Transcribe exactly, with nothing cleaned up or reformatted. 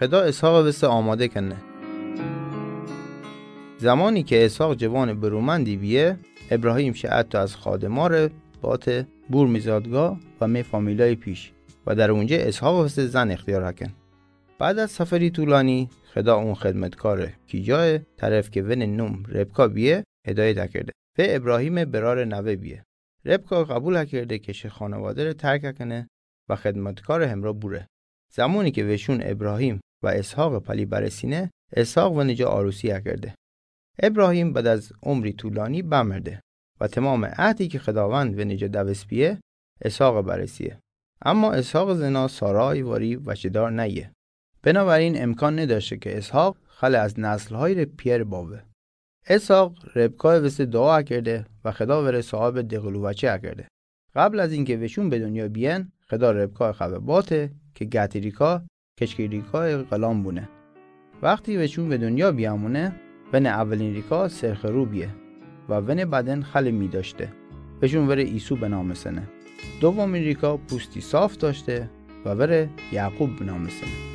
Xeda Eshaqe vese amade kene. Zamani ke Eshaq cevane bırumandi biye, Ebrahim şe ato az khademare bate burmizadga va me familiyay piş, va dar unce Eshaq vese zan extiyar haken. Bad az saferi tulani, Xeda un xedmetkare kicae, taref ke vene num Rebka biye, hedayet akerde ve Ebrahime berare nave biye. Rebka qabul akerde ke şe xanevadere terk akene va xedmetkare hemra bure. Zamani ke veşun Ebrahim va Eshaqe pali baresine, Eshaq veneca arusi akerde. Ebrahim bad az umri tulani bamerde, va temame ahdi ke Xedavend veneca davest biye, Eshaqe baresiye. Ama Eshaqe zena Sarai vari vaçedar neye. Benaverin emkan nedaşte ke Eshaq xale az neslhayre piyere bave. Eshaq Rebkae vese dua akerde va Xeda vere sahibe dequluvaçi akerde. Qabl az inke veşun be dunya biyen, Xeda Rebkae xave bate ke gatirika, keçkirikae ğılan bune. Vexti veşun ve dunya biyamune, vene avelinrika serxeru biye, va vene baden xali midaşte. Veşun vere İsu benamesene. Dovaminrika pusti saf daşte, va vere Yaqub benamesene.